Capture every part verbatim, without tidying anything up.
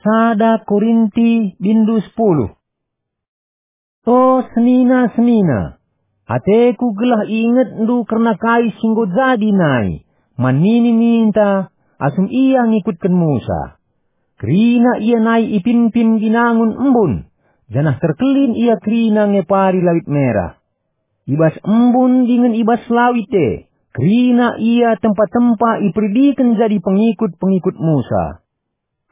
Sada Korinti bindu sepuluh. O senina-senina, ateku gelah iingetndu kerna kai si enggo jadi nai, man nini-nininta, asum ia ngikutken Musa. Kerina ia nai ipimpin binangun embun, janah terkelin ia kerina ngepari Lawit Merah. I bas embun dingen i bas lawit e, kerina ia tempa-tempa iperidiken jadi pengikut-pengikut Musa.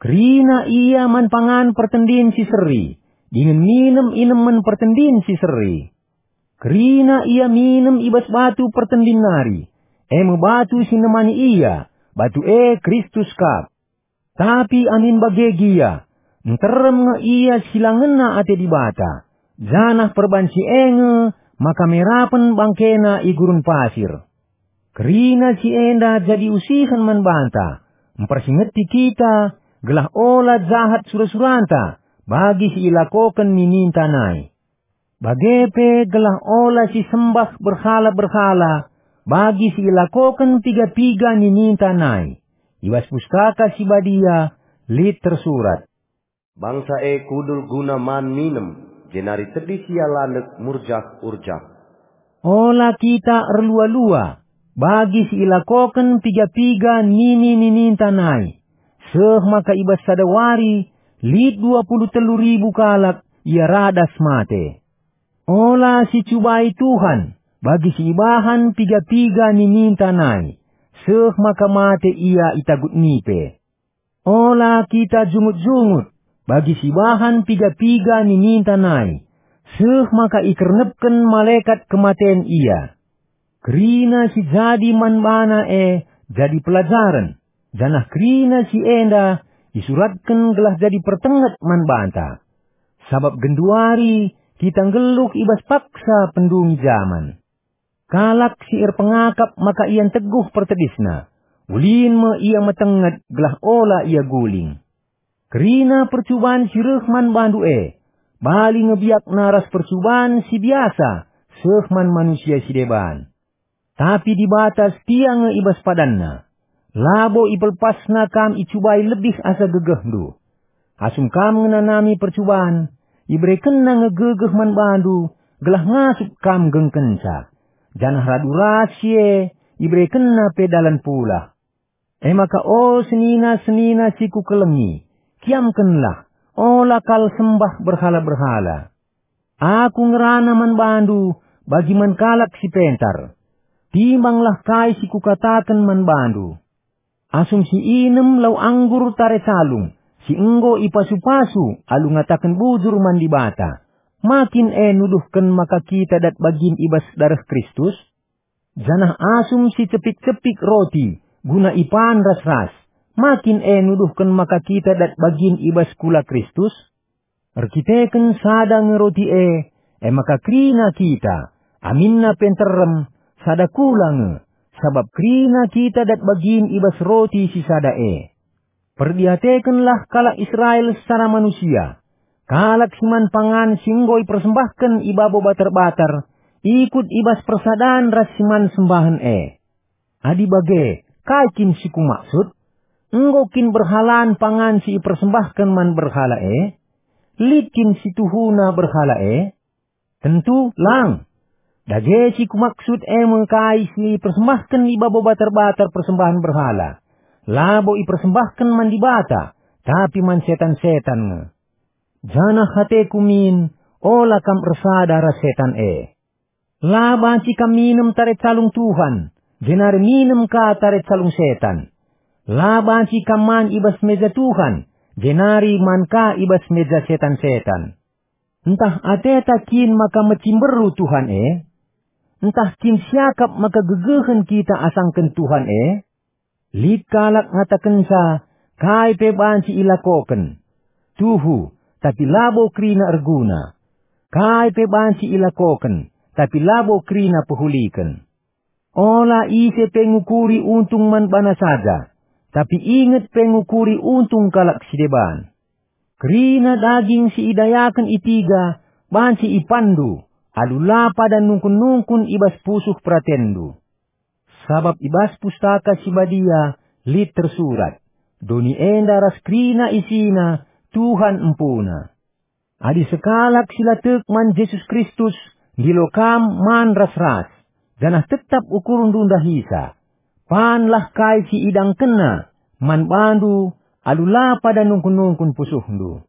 Kerina ia man pangan pertendin si seri, dingen minem inemen pertendin si seri. Kerina ia minem i bas batu pertendin nari, e me batu si nemani ia, batu e Kristus kap. Tapi amin bage gia, nterem nge ia si la ngena ate Dibata, janah perbanci e nge maka merapen bangkena i gurun pasir. Kerina si enda jadi usihen man banta, mpersingeti kita, gelah ola jahat sura-suranta bagi si ilakoken nininta nai. Bage pe gelah ola sisembah berhala-berhala bagi si ilakoken piga-piga nininta nai. I bas Pustaka Si Badia lit tersurat, "Bangsa e kudul guna man minem, jenari tedis ia landek murjah-urjah." Ola kita erlua-lua bagi si ilakoken piga-piga nini-nininta nai, seh maka i bas sada wari lit dua puluh telu ribu kalak ia radas mate. Ola sicubai Tuhan bagi si ibahan piga-piga nininta nai, seh maka mate ia i tagut nipe. Ola kita jungut-jungut bagi si ibahan piga-piga nininta nai, seh maka ikernepken malekat kematen ia. Kerina si jadi man bana e jadi pelajaren, janah kerina si enda isuratken gelah jadi pertenget man banta. Sabap genduari kita nggeluh i bas paksa pendungi jaman. Kalak si erpengakap maka ia nteguh pertedisna, ulin me ia metenget gelah ola ia guling. Kerina percuban si reh man bandu e, bali nge biakna ras percuban si biasa seh man manusia si deban. Tapi Dibata setia nge i bas padanNa. Labo ipelepasNa kam icubai lebih asa gegehndu. Asum kam ngenanami percuban, iberekenNa nge gegeh man bandu, gelah ngasup kam nggengkenca. Janah radu ras si e, iberekenNa pe dalan pulah. E maka o senina-senina si kukelengi, kiamkenlah, ola kal sembah berhala-berhala. Aku ngerana man bandu bagi man kalak si pentar. Timbanglah kai si kukataken man bandu. Asum si inem lau anggur tare calung, si enggo ipasu-pasu alu ngataken bujur man Dibata, ma kin e nuduhken maka kita dat bagin i bas dareh Kristus? Janah asum si cepik-cepik roti guna ipan ras-ras, ma kin e nuduhken maka kita dat bagin i bas kula Kristus? Erkiteken sada nge roti e, e maka kerina kita, aminna pe nterem, sada kula nge, sabap kerina kita dat bagin i bas roti si sada e. Perdiatekenlah kalak Israel secara manusia, kalak si man pangan si enggo ipersembahken i babo batar-batar, ikut i bas persadan ras si man sembahen e. Adi bage, kai kin si kumaksud? Enggo kin berhalan pangan si ipersembahken man berhala e? Lit kin si tuhuna berhala e? Tentu lang! Dage si kumaksud e me kai si ipersembahken i babo batar-batar persembahen berhala. Labo ipersembahken man Dibata, tapi man setan-setan nge. Janah ateku min, ola kam ersada ras setan e. La banci kam minem tare calung Tuhan, jenari minem ka tare calung setan. La banci kam man i bas meja Tuhan, jenari man ka i bas meja setan-setan. Ntah ateta kin maka mecimberu Tuhan e? Ntah kin siakap maka gegehen kita asangken Tuhan e? Lit kalak ngatakenca, kai pe banci ilakoken. Tuhu, tapi labo kerina erguna. Kai pe banci ilakoken, tapi labo kerina pehuliken. Ola ise pe ngukuri untung man bana saja, tapi inget pe ngukuri untung kalak si deban. Kerina daging si idayaken i tiga banci ipanndu, alu la pada nungkun-nungkun i bas pusuh peratenndu. Sabap i bas Pustaka Si Badia lit tersurat, "Doni enda ras kerina isina Tuhan empuna. Adi sekalak si la tek man Jesus Kristus ndilo kam man ras-ras, janah tetap ukurndu ndahisa, panlah kai si idangkenna man bandu alu la pada nungkun-nungkun pusuhndu.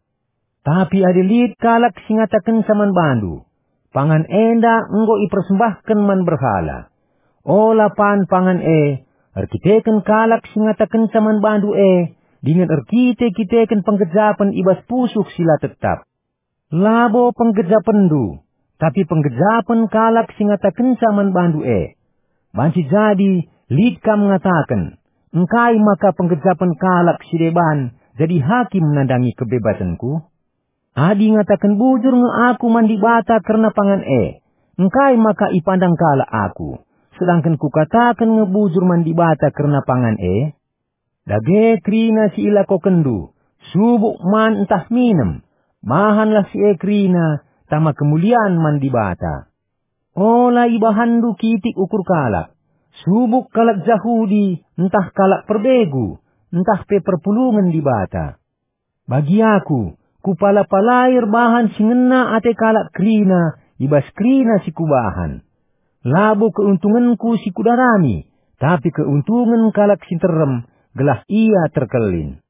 Tapi adi lit kalak si ngatakenca man bandu, "Pangan enda enggo ipersembahken man berhala," ola pan pangan e erkiteken kalak si ngatakenca man bandu e, dingen erkite-kiteken penggejapen i bas pusuh si la tetap. Labo penggejapenndu, tapi penggejapen kalak si ngatakenca man bandu e. Banci jadi lit kam ngataken, "Engkai maka penggejapen kalak si deban jadi hakim nandangi kebebasenku?" Adi ngataken bujur nge aku man Dibata kerna pangan e, engkai maka ipandang kalak aku, sedangken kukataken nge bujur man Dibata kerna pangan e? Dage kerina si ilakokenndu, subuk man ntah minem, bahanlah si e kerina tama kemulian man Dibata. Ola ibahanndu kitik ukur kalak, subuk kalak Jahudi ntah kalak perbegu, ntah pe perpulungen Dibata. Bagi aku, kupala-palai erbahan si ngena ate kalak kerina i bas kerina si kubahan. Labo keuntungenku si kudarami, tapi keuntungen kalak si nterem, gelah ia terkelin.